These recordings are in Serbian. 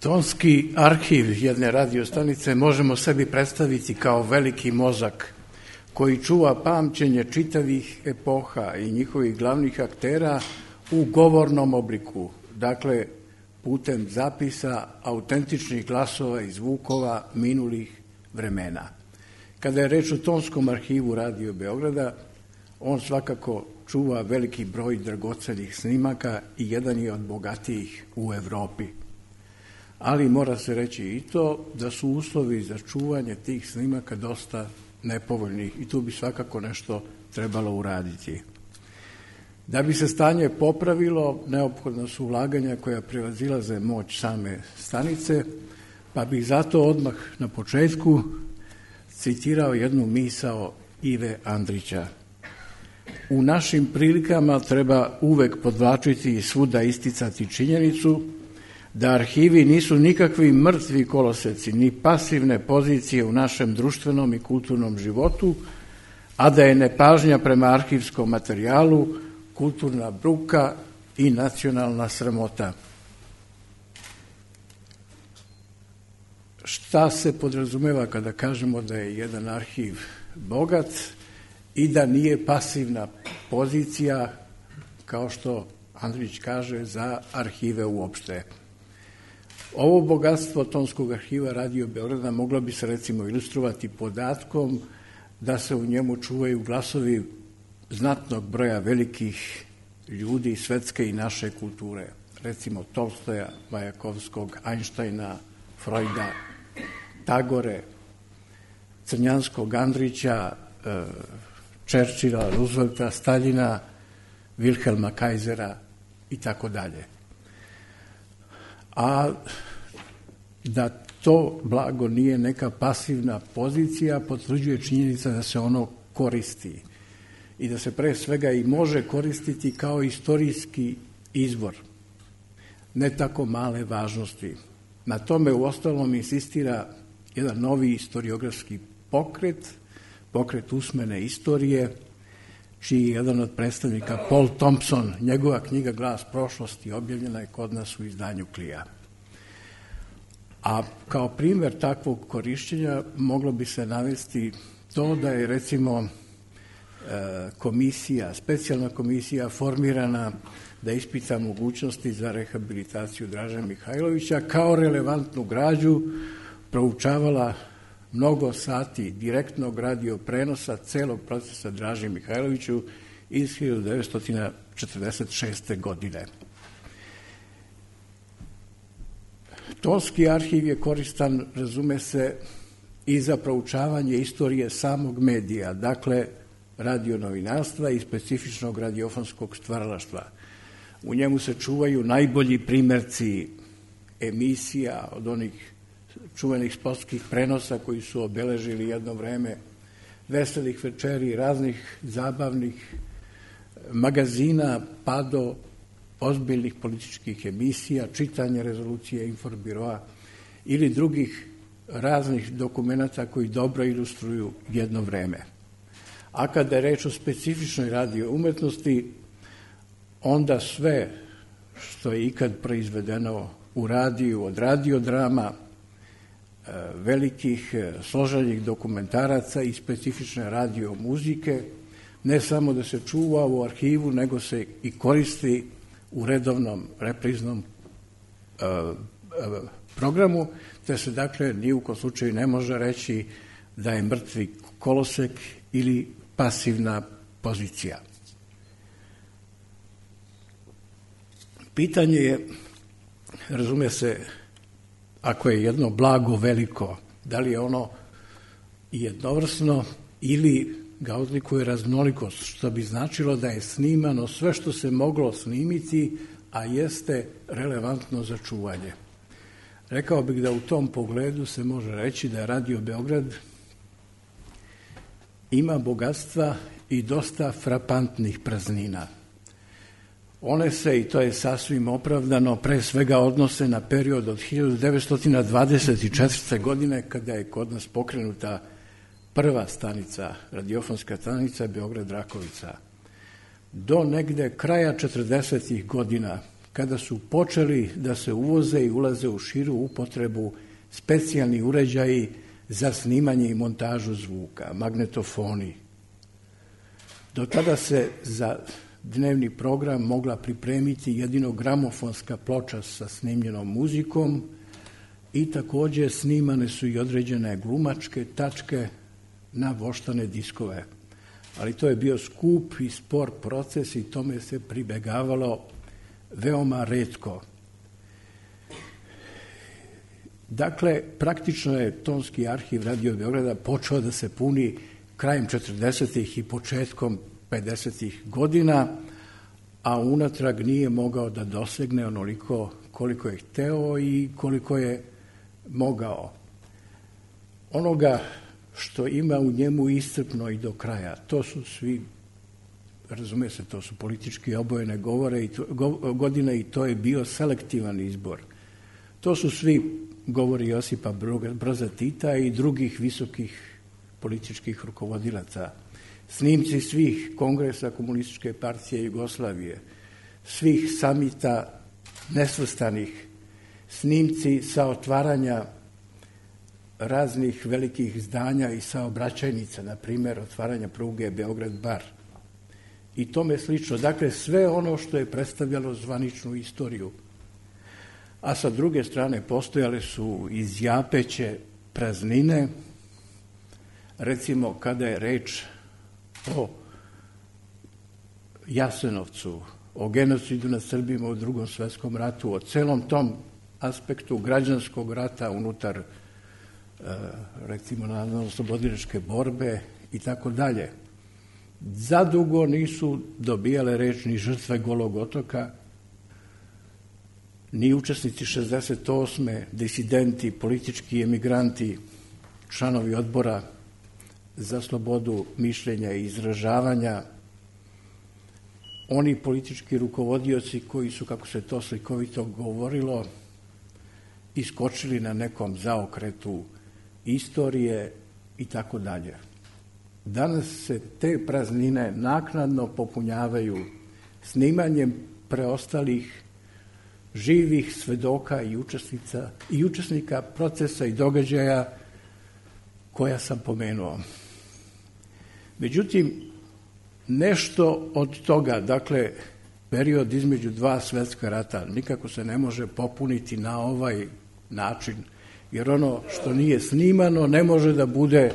Tonski arhiv jedne radiostanice možemo sebi predstaviti kao veliki mozak koji čuva pamćenje čitavih epoha i njihovih glavnih aktera u govornom obliku, dakle putem zapisa autentičnih glasova i zvukova minulih vremena. Kada je reč o Tonskom arhivu Radio Beograda, on svakako čuva veliki broj dragocenih snimaka i jedan je od bogatijih u Evropi. Ali mora se reći i to da su uslovi za čuvanje tih snimaka dosta nepovoljni i tu bi svakako nešto trebalo uraditi. Da bi se stanje popravilo, neophodna su ulaganja koja prevazilaze moć same stanice, pa bih zato odmah na početku citirao jednu misao Ive Andrića. U našim prilikama treba uvek podvlačiti i svuda isticati činjenicu da arhivi nisu nikakvi mrtvi koloseci, ni pasivne pozicije u našem društvenom i kulturnom životu, a da je nepažnja prema arhivskom materijalu kulturna bruka i nacionalna sramota. Šta se podrazumeva kada kažemo da je jedan arhiv bogat i da nije pasivna pozicija, kao što Andrić kaže, za arhive uopšte? Ovo bogatstvo Tonskog arhiva Radio Beograda moglo bi se recimo ilustrovati podatkom da se u njemu čuvaju glasovi znatnog broja velikih ljudi svetske i naše kulture. Recimo Tolstoja, Majakovskog, Einsteina, Freuda, Tagore, Crnjanskog, Andrića, Churchilla, Roosevelta, Staljina, Wilhelma Kaisera i tako dalje. A da to blago nije neka pasivna pozicija, potvrđuje činjenica da se ono koristi i da se pre svega i može koristiti kao istorijski izvor, ne tako male važnosti. Na tome uostalom insistira jedan novi historiografski pokret usmene istorije, čiji je jedan od predstavnika Paul Thompson, njegova knjiga Glas prošlosti objavljena je kod nas u izdanju Klija. A kao primer takvog korišćenja moglo bi se navesti to da je recimo specijalna komisija formirana da ispita mogućnosti za rehabilitaciju Draže Mihajlovića, kao relevantnu građu proučavala mnogo sati direktnog radio prenosa celog procesa Draži Mihajloviću iz 1946. godine. Tonski arhiv je koristan, razume se, i za proučavanje istorije samog medija, dakle radionovinarstva i specifičnog radiofonskog stvaralaštva. U njemu se čuvaju najbolji primerci emisija od onih čuvenih sportskih prenosa koji su obeležili jedno vreme, veselih večeri, raznih zabavnih magazina, pa do ozbiljnih političkih emisija, čitanje rezolucije Inforbiroa ili drugih raznih dokumenata koji dobro ilustruju jedno vreme. A kada je reč o specifičnoj radio umetnosti, onda sve što je ikad proizvedeno u radiju, od radiodrama, velikih složenih dokumentaraca i specifične radio muzike, ne samo da se čuva u arhivu, nego se i koristi u redovnom repriznom programu, te se dakle ni u kom slučaju ne može reći da je mrtvi kolosek ili pasivna pozicija. Pitanje je, razume se, ako je jedno blago veliko, da li je ono jednovrsno ili ga odlikuje raznolikost, što bi značilo da je snimano sve što se moglo snimiti, a jeste relevantno za čuvanje. Rekao bih da u tom pogledu se može reći da Radio Beograd ima bogatstva i dosta frapantnih praznina. One se, i to je sasvim opravdano, pre svega odnose na period od 1924. godine, kada je kod nas pokrenuta prva stanica, radiofonska stanica Beograd-Rakovica, do negde kraja 40. godina, kada su počeli da se uvoze i ulaze u širu upotrebu specijalni uređaji za snimanje i montažu zvuka, magnetofoni. Do tada se za dnevni program mogla pripremiti jedino gramofonska ploča sa snimljenom muzikom i također snimane su i određene glumačke tačke na voštane diskove. Ali to je bio skup i spor proces i tome se pribegavalo veoma retko. Dakle, praktično je tonski arhiv Radio Beograda počeo da se puni krajem 40. i početkom 50. godina, a unatrag nije mogao da dosegne onoliko koliko je hteo i koliko je mogao. Onoga što ima u njemu iscrpno i do kraja, to su svi, razume se, to su politički obojene godine i to je bio selektivan izbor. To su svi govori Josipa Broza Tita i drugih visokih političkih rukovodilaca. Snimci svih kongresa Komunističke partije Jugoslavije, svih samita nesvrstanih, snimci sa otvaranja raznih velikih zdanja i saobraćajnica, na primjer otvaranja pruge Beograd-Bar i tome slično. Dakle, sve ono što je predstavljalo zvaničnu istoriju. A sa druge strane postojale su izjapeće praznine, recimo kada je reč o Jasenovcu, o genocidu nad Srbima u Drugom svetskom ratu, o celom tom aspektu građanskog rata unutar recimo narodno-oslobodilačke borbe i tako dalje. Zadugo nisu dobijale reč ni žrtve Golog otoka, ni učesnici 68. disidenti, politički emigranti, članovi odbora za slobodu mišljenja i izražavanja, oni politički rukovodioci koji su, kako se to slikovito govorilo, iskočili na nekom zaokretu istorije i tako dalje. Danas se te praznine naknadno popunjavaju snimanjem preostalih živih svedoka i učesnika procesa i događaja koja sam pomenuo. Međutim, nešto od toga, dakle, period između dva svetska rata, nikako se ne može popuniti na ovaj način, jer ono što nije snimano ne može da bude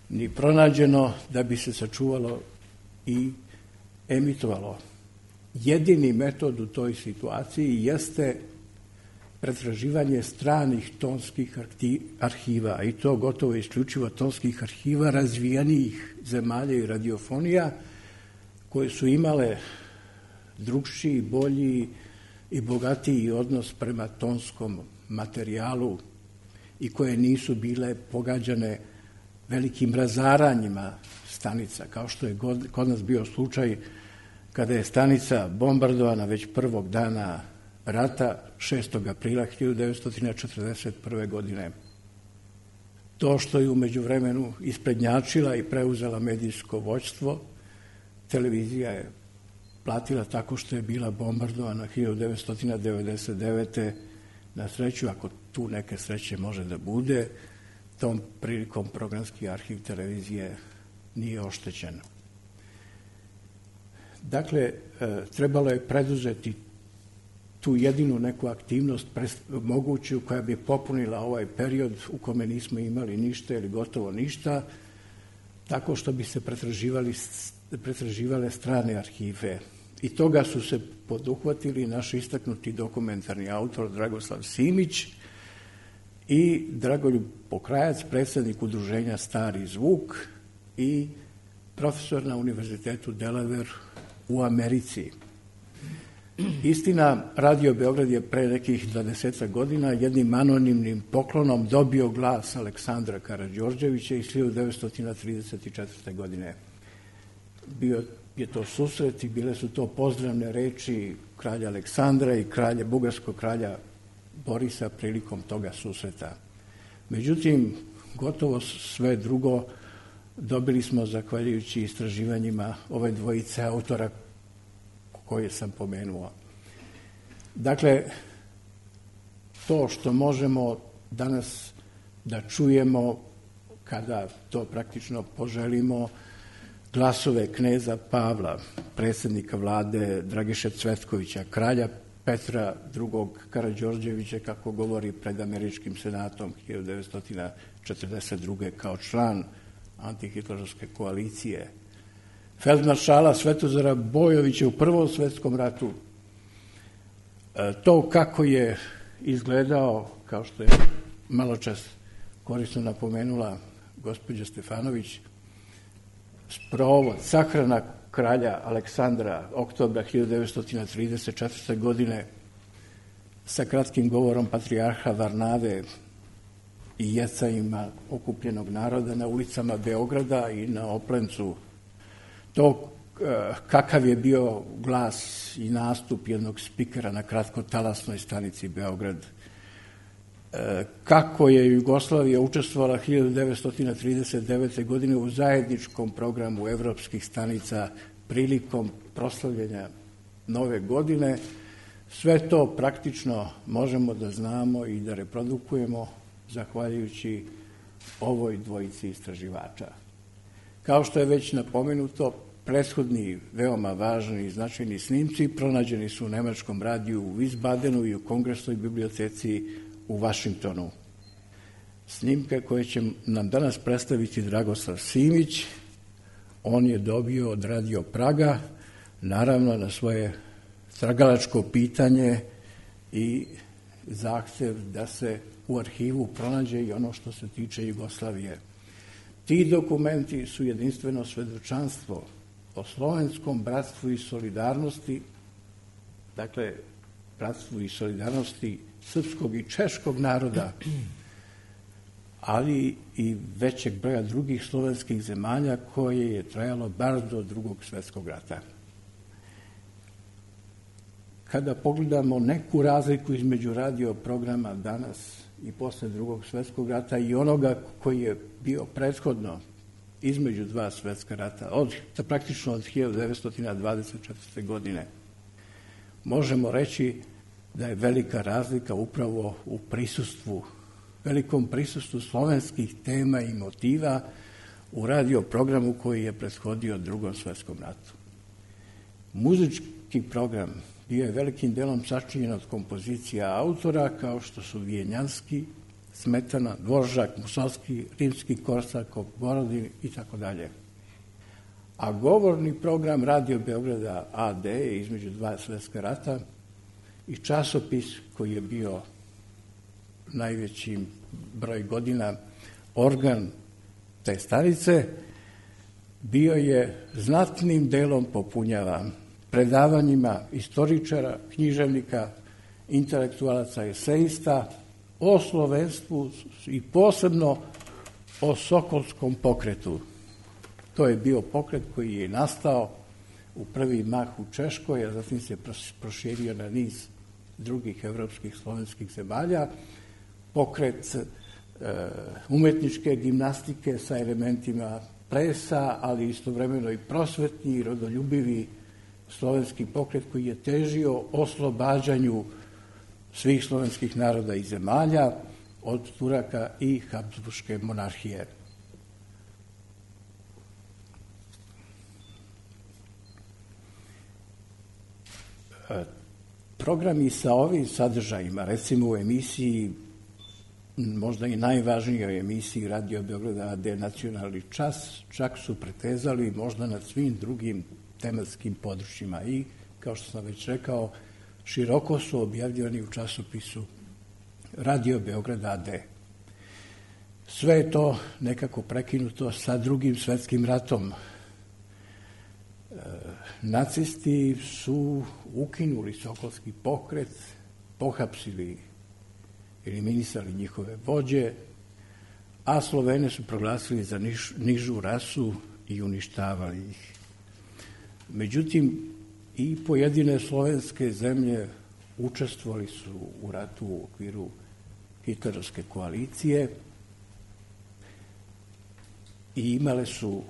ni pronađeno da bi se sačuvalo i emitovalo. Jedini metod u toj situaciji jeste pretraživanje stranih tonskih arhiva, i to gotovo isključivo tonskih arhiva razvijenijih zemalja i radiofonija koje su imale drukčiji, bolji i bogatiji odnos prema tonskom materijalu i koje nisu bile pogađane velikim razaranjima stanica, kao što je kod nas bio slučaj kada je stanica bombardovana već prvog dana rata 6. aprila 1941. godine. To što je u međuvremenu isprednjačila i preuzela medijsko vođstvo, televizija je platila tako što je bila bombardovana 1999. Na sreću, ako tu neke sreće može da bude, tom prilikom programski arhiv televizije nije oštećen. Dakle, trebalo je preduzeti tu jedinu neku aktivnost moguću koja bi popunila ovaj period u kome nismo imali ništa ili gotovo ništa, tako što bi se pretraživale strane arhive. I toga su se poduhvatili naš istaknuti dokumentarni autor Dragoslav Simić i Dragoljub Pokrajac, predsjednik udruženja Stari zvuk i profesor na Univerzitetu Delaware u Americi. Istina, Radio Beograd je pre nekih 20 godina jednim anonimnim poklonom dobio glas Aleksandra Karađorđevića iz 1934. godine. Bio je to susret i bile su to pozdravne reči kralja Aleksandra i bugarskog kralja Borisa prilikom toga susreta. Međutim, gotovo sve drugo dobili smo zahvaljujući istraživanjima ove dvojice autora koje sam pomenuo. Dakle, to što možemo danas da čujemo kada to praktično poželimo, glasove kneza Pavla, predsjednika vlade Dragiše Cvetkovića, kralja Petra II. Karađorđevića, kako govori pred Američkim senatom 1942. kao član antihitlerovske koalicije, feldmaršala Svetozara Bojovića u Prvom svetskom ratu. To kako je izgledao, kao što je maločas korisno napomenula gospođa Stefanović, sprovod, sahrana kralja Aleksandra oktobra 1934. godine sa kratkim govorom patrijarha Varnave i jecajima okupljenog naroda na ulicama Beograda i na Oplencu. To kakav je bio glas i nastup jednog spikera na kratkotalasnoj stanici Beograd, kako je Jugoslavija učestvovala 1939. godine u zajedničkom programu evropskih stanica prilikom proslavljenja Nove godine. Sve to praktično možemo da znamo i da reprodukujemo zahvaljujući ovoj dvojici istraživača. Kao što je već napomenuto, prethodni veoma važni i značajni snimci pronađeni su u nemačkom radiju u Wiesbadenu i u Kongresnoj biblioteci u Vašingtonu. Snimke koje će nam danas predstaviti Dragoslav Simić, on je dobio od Radio Praga, naravno na svoje tragalačko pitanje i zahtev da se u arhivu pronađe i ono što se tiče Jugoslavije. Ti dokumenti su jedinstveno svedočanstvo o slovenskom bratstvu i solidarnosti, dakle, bratstvu i solidarnosti srpskog i češkog naroda, ali i većeg broja drugih slovenskih zemalja koje je trajalo bar do Drugog svjetskog rata. Kada pogledamo neku razliku između radio programa danas i posle Drugog svjetskog rata i onoga koji je bio prethodno između dva svjetska rata, praktično od 1924. godine, možemo reći da je velika razlika upravo u velikom prisustvu slovenskih tema i motiva u radio programu koji je prethodio Drugom svjetskom ratu. Muzički program bio je velikim delom sačinjen od kompozicija autora kao što su Vijenjanski, Smetana, Dvoržak, Musovski, Rimski Korsakov, Borodin i tako dalje. A govorni program Radio Beograda AD između dva svjetska rata i časopis koji je bio najveći broj godina organ te stanice, bio je znatnim delom popunjavan predavanjima istoričara, književnika, intelektualaca, eseista o slovenstvu i posebno o Sokolskom pokretu. To je bio pokret koji je nastao u prvi mah u Češkoj, a zatim se proširio na niz drugih evropskih slovenskih zemalja. Pokret umetničke gimnastike sa elementima plesa, ali istovremeno i prosvetni i rodoljubivi slovenski pokret koji je težio oslobađanju svih slovenskih naroda i zemalja od Turaka i Habsburške monarhije. Programi sa ovim sadržajima, recimo u emisiji, možda i najvažnijoj emisiji Radio Beograda AD Nacionalni čas, čak su pretezali možda nad svim drugim tematskim područjima i, kao što sam već rekao, široko su objavljivani u časopisu Radio Beograda AD. Sve je to nekako prekinuto sa Drugim svjetskim ratom. Nacisti su ukinuli Sokolski pokret, pohapsili, eliminisali njihove vođe, a Slovene su proglasili za nižu rasu i uništavali ih. Međutim, i pojedine slovenske zemlje učestvovali su u ratu u okviru hitlerovske koalicije i imale su,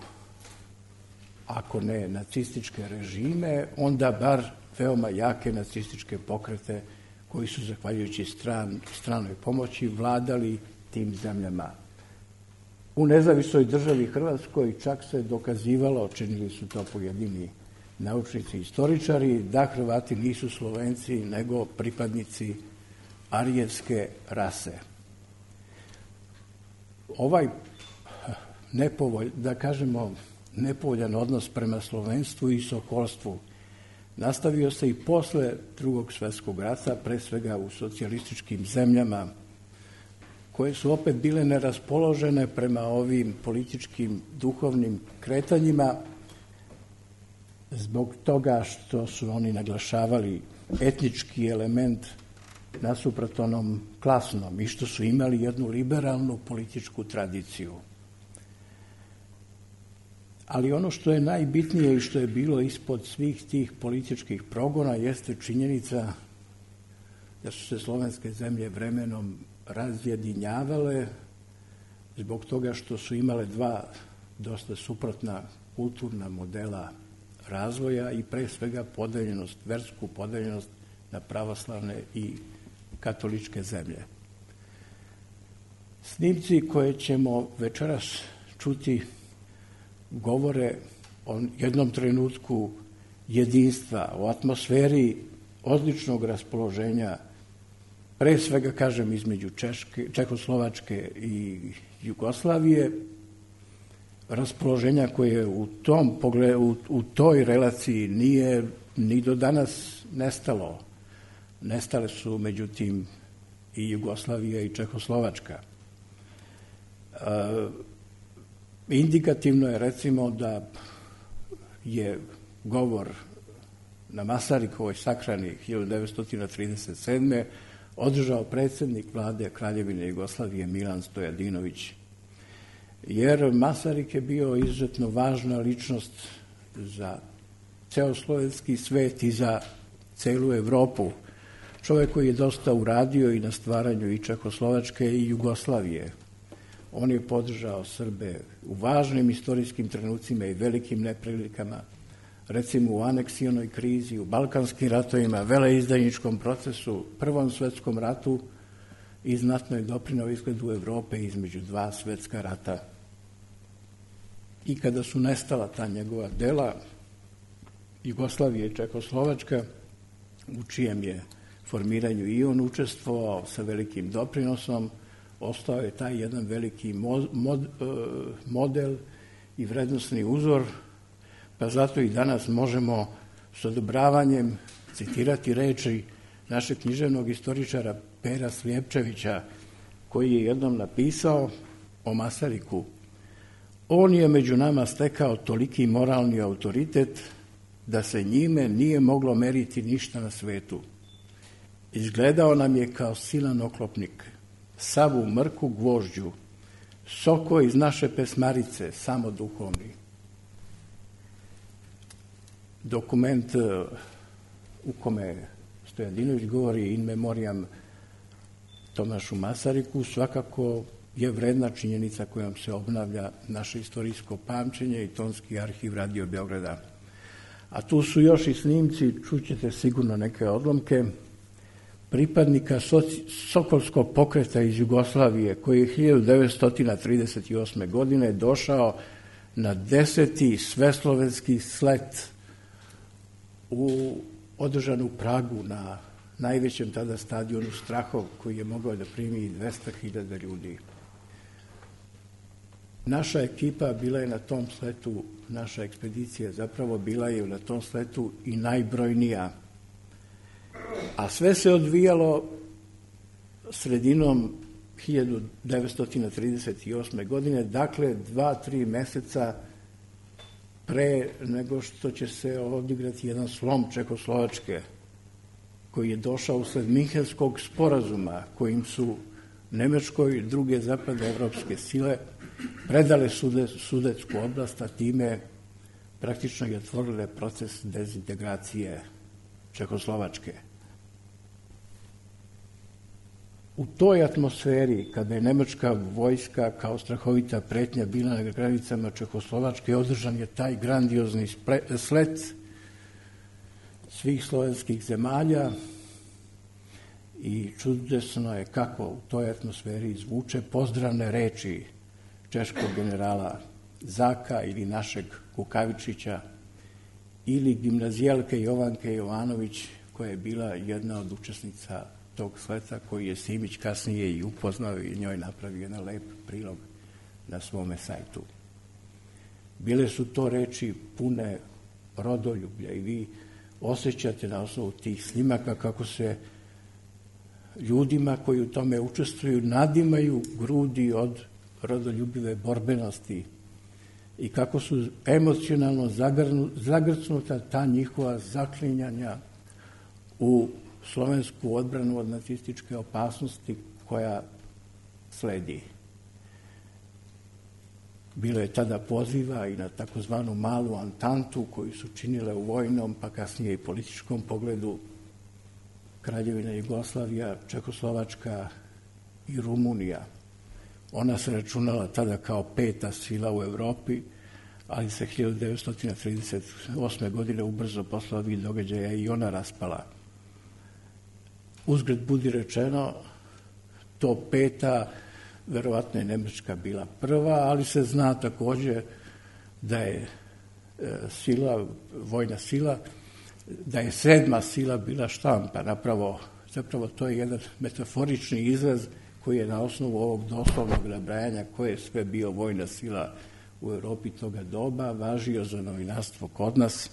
ako ne nacističke režime, onda bar veoma jake nacističke pokrete koji su, zahvaljujući stranoj pomoći, vladali tim zemljama. U nezavisnoj državi Hrvatskoj čak se dokazivalo, činili su to pojedini naučnici i istoričari, da Hrvati nisu Slovenci, nego pripadnici arijevske rase. Ovaj nepovoljan odnos prema slovenstvu i sokolstvu nastavio se i posle Drugog svjetskog rata, pre svega u socijalističkim zemljama, koje su opet bile neraspoložene prema ovim političkim, duhovnim kretanjima, zbog toga što su oni naglašavali etnički element nasuprot onom klasnom i što su imali jednu liberalnu političku tradiciju. Ali ono što je najbitnije i što je bilo ispod svih tih političkih progona jeste činjenica da su se slovenske zemlje vremenom razjedinjavale zbog toga što su imale dva dosta suprotna kulturna modela razvoja i pre svega podeljenost, versku podeljenost na pravoslavne i katoličke zemlje. Snimci koje ćemo večeras čuti govore o jednom trenutku jedinstva, o atmosferi odličnog raspoloženja, pre svega, kažem, između Čehoslovačke i Jugoslavije, raspoloženja koje u toj relaciji nije ni do danas nestalo. Nestale su, međutim, i Jugoslavija i Čehoslovačka. Indikativno je, recimo, da je govor na Masarikovoj sahrani 1937. održao predsjednik vlade Kraljevine Jugoslavije Milan Stojadinović. Jer Masarik je bio izuzetno važna ličnost za ceo slovenski svet i za celu Evropu. Čovjek koji je dosta uradio i na stvaranju i Čehoslovačke i Jugoslavije. On je podržao Srbe u važnim istorijskim trenucima i velikim neprilikama, recimo u aneksionoj krizi, u balkanskim ratovima, veleizdajničkom procesu, Prvom svetskom ratu i znatno je doprineo izgledu Evrope između dva svetska rata. I kada su nestala ta njegova dela, Jugoslavija i Čehoslovačka, u čijem je formiranju i on učestvovao sa velikim doprinosom, ostao je taj jedan veliki model i vrednosni uzor, pa zato i danas možemo s odobravanjem citirati reči našeg književnog istoričara Pera Slijepčevića, koji je jednom napisao o Masariku: on je među nama stekao toliki moralni autoritet da se njime nije moglo meriti ništa na svetu. Izgledao nam je kao silan oklopnik, sav u mrku gvožđu, soko iz naše pesmarice, samo duhovni. Dokument u kome Stojadinović govori in memoriam Tomašu Masariku svakako je vredna činjenica kojom se obnavlja naše istorijsko pamćenje i tonski arhiv Radio Beograda. A tu su još i snimci, čućete sigurno neke odlomke, pripadnika Sokolskog pokreta iz Jugoslavije, koji je 1938. godine došao na 10. sveslovenski slet održan u Pragu na najvećem tada stadionu Strahov, koji je mogao da primi 200.000 ljudi. Naša ekipa bila je na tom sletu, naša ekspedicija zapravo bila je na tom sletu i najbrojnija. A sve se odvijalo sredinom 1938. godine, dakle 2-3 meseca pre nego što će se odigrati jedan slom Čehoslovačke, koji je došao usled Minhenskog sporazuma, kojim su Nemačkoj i druge zapadne evropske sile predale Sudetsku oblast, a time praktično je otvorile proces dezintegracije Čehoslovačke. U toj atmosferi, kada je nemačka vojska kao strahovita pretnja bila na granicama Čehoslovačke, održan je taj grandiozni slet. svih slovenskih zemalja i čudesno je kako u toj atmosferi zvuče pozdravne reči češkog generala Zaka ili našeg Kukavičića ili gimnazijalke Jovanke Jovanović, koja je bila jedna od učesnica tog sleta, koji je Simić kasnije i upoznao i njoj napravio jedan lep prilog na svome sajtu. Bile su to reči pune rodoljublja i vi osjećate na osnovu tih snimaka kako se ljudima koji u tome učestvuju nadimaju grudi od rodoljubive borbenosti i kako su emocionalno zagrcnuta ta njihova zaklinjanja u slovensku odbranu od nacističke opasnosti koja sledi. Bilo je tada poziva i na takozvanu malu Antantu koju su činile u vojnom, pa kasnije i političkom pogledu Kraljevina Jugoslavija, Čekoslovačka i Rumunija. Ona se računala tada kao 5. sila u Evropi, ali se 1938. godine ubrzo posle ovih događaja i ona raspala. Uzgred budi rečeno, to 5. verovatno je Nemačka bila prva, ali se zna takođe da je vojna sila, da je 7. sila bila štampa. Zapravo to je jedan metaforični izraz koji je na osnovu ovog doslovnog nabrajanja koje je sve bio vojna sila u Evropi toga doba važio za novinarstvo kod nas,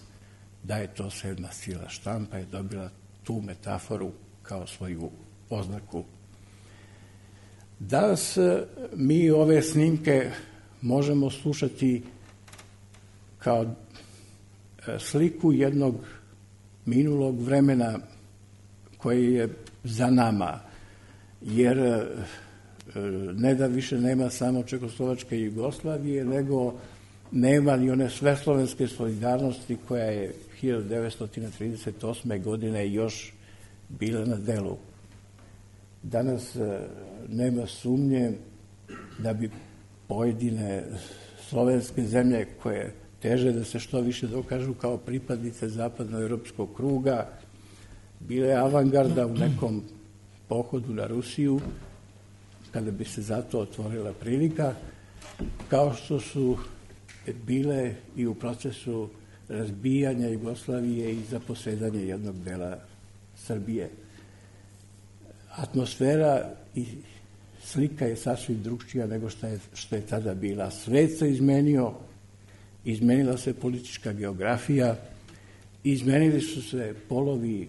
da je to 7. sila. Štampa je dobila tu metaforu kao svoju oznaku. Danas mi ove snimke možemo slušati kao sliku jednog minulog vremena koje je za nama, jer ne da više nema samo Čekoslovačke i Jugoslavije, nego nema ni one sveslovenske solidarnosti koja je 1938. godine još bila na delu. Danas nema sumnje da bi pojedine slovenske zemlje koje teže da se što više dokažu kao pripadnice zapadnoevropskog kruga bile avangarda u nekom pohodu na Rusiju, kada bi se zato otvorila prilika, kao što su bile i u procesu razbijanja Jugoslavije i zaposedanja jednog dela Srbije. Atmosfera i slika je sasvim drugčija nego što je tada bila. Svet se izmenio, izmenila se politička geografija, izmenili su se polovi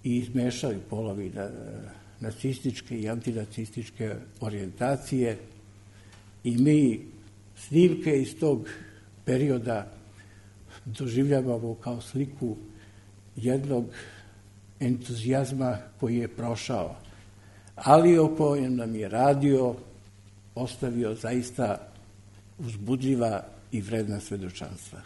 i izmešali polovi nacističke i antinacističke orijentacije i mi snimke iz tog perioda doživljavamo kao sliku jednog entuzijazma koji je prošao, ali o kojem nam je radio ostavio zaista uzbudljiva i vredna svedočanstva.